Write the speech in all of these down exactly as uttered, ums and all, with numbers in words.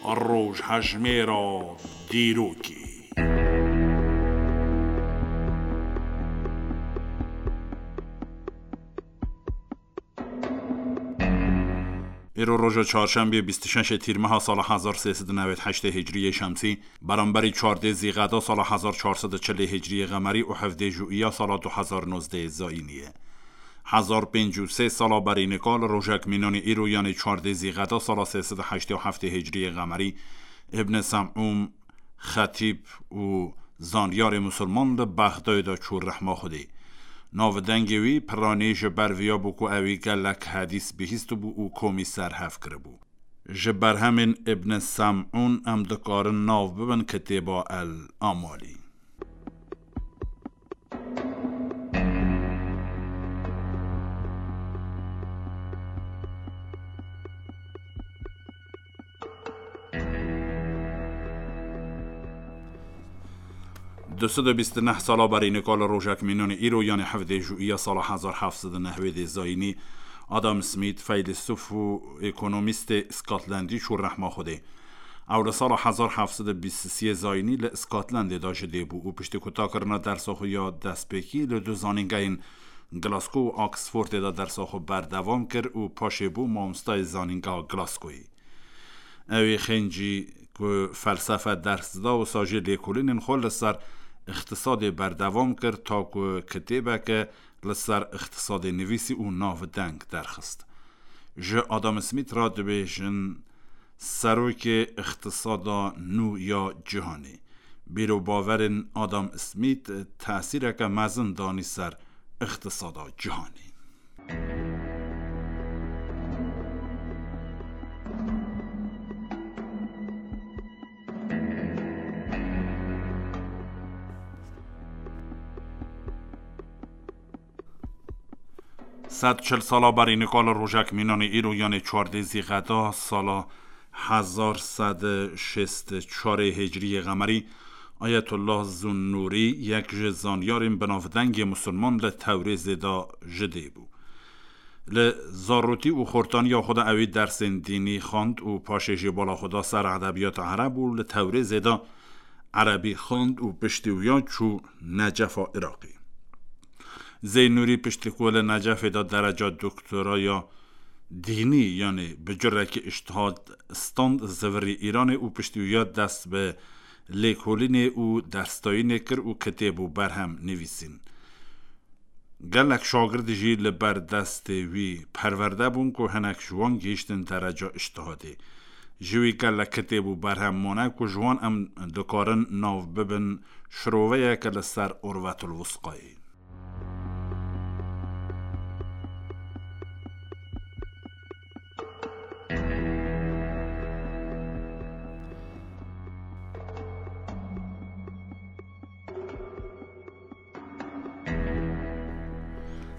Rojhejmêra dîrokê. Îro roja çarşembê bîst û şeş Tîrmeha sala hezar sê sed û newêd heştê Hicriyê Şemsî, beramberî çardê Zîqeda sala hezar çar sed û çilê Hicriyê Qemerî û hevdê Jûiya sala du hezar nozdeh Zayînî ye. Hezar pêncî û sê sala berî nika li rojek mînanî îro, yanê çardê Zîqeda sala sê sed û heştê û heftê Hicriyê Qemerî, Îbn Sem'ûn, xetîb û zanyarê misilman li Bexdayê de çû rehma Xwedê. Navdengê wî piranî ji ber viya bû ku ewî gelek hedîs bihîstibû û komî ser hev kiribû. Ji berhemên Îbn Sem'ûn em dikarin nav bibin kitêba El Amalî. Du sed û bîst û neh sala berî nika li rojek mînanê îro, yanê hevdê Jûiya sala hezar heft sed û nehwêdê Zayînî, Adam Smith, feylesûf û ekonomîstê Scotlandî çû rehma Xwedê. Ew li sala hezar heft sed û bîst û sê Zayînî li Scotlandê de ji dê bû û piştî kutakirina dersa xwe ya destpêkî li du zanîngehên Glasgow û Oxfordê de dersa xwe berdewam kir û paşê bû mamostayê zanîngeha Glasgoyê. Ew ê xêncî ku felsefe ders dida, wisa jî lêkolînên xwe li ser îqtisadê berdewam kir, ta ku kitêbeke li ser îqtisadê nivîsî û navdeng derxist. Ji Adam Smith re dibêjin serokê îqtisada nû ya cîhanê. Bîr û bawerên Adam Smith tesîreke mezin danî ser îqtisada cîhanê. Sed çil sala berî nika li rojek mînanê îro, yanê çardê Zîqeda sala hezar sed û şêst û çarê Hicriyê Qemerî, Ayetullah Zunnûrî, yek ji zanyarên binavdengê misilman, li Tewrêzê de ji dê bû. Li zarotî û xortaniya xwe de ewî dersên dînî xwend û paşê jî bala xwe da ser edebiyata ereb û li Tewrêzê de erebî xwend û piştî wiya çû Necefa Iraqê. Zeynûrî piştî ku li Necefê de dereca doktoraya dînî, yanî bi curekî îştihad stand, zivirî Îranê û piştî wiya dest bi lêkolînê û derstayînê kir û kitêb û berhem nivîsîn. Gelek şagird jî li ber destê wî perwerde bûn ku hinek ji wan gihîştin dereca îştihadê. Ji wî gelek kitêb û berhem mane ku ji wan em dikarin nav bibin şiroveyeke li ser Urwetul Wusqayê.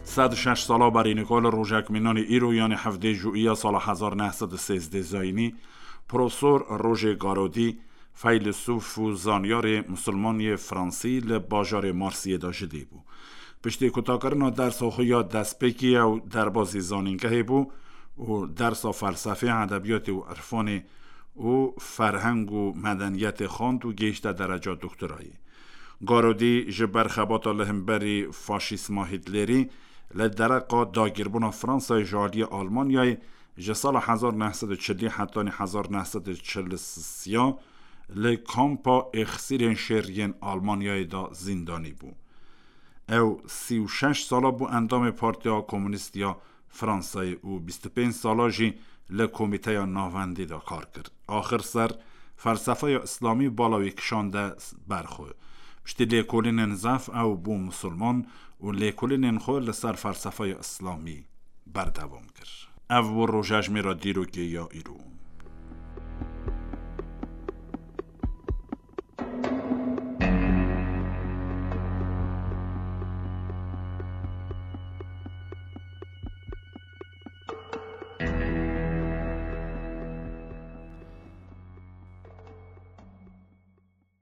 Sed şeş sala berî nika li rojek mînanê îro, yanê hevdê Jûiya sala hezar neh sed û sêzdeh Zayînî, Profesor Roger Garaudy, feylesûf û zanyarê misilman yê Fransî, li bajarê Marsiyê de ji dê bû. Piştî kutakirina dersa xwe ya destpêkî ew derbazî zanîngehê bû û dersa felsefê, edebiyatê û irfanê û ferheng û medeniyetê xwend û gihîşte dereca doktorayê. Garodî ji ber xebata li hemberî faşîzma Hîtlerî li dereqa dagîrbûna Fransayê ji aliyê Almanyayê ji sala hezar neh sed û çilî hetanî hezar neh sed û çil û sê li kampa êxsîrên şêr yên Almanyayê de zîndanî bû. Ew sî û şeş sala bû endamê Partiya Komûnîst ya Fransayê û bîst û pênc sala jî li Komîteya Navendî de kar kir. Axir ser felsefeya Îslamî bala wî kişande ber xwe. Piştî lêkolînên zaf ew bû misilman û lêkolînên xwe li ser felsefeya Îslamî berdewam kir. Ev bû rojejmêra dîrokê ya îro.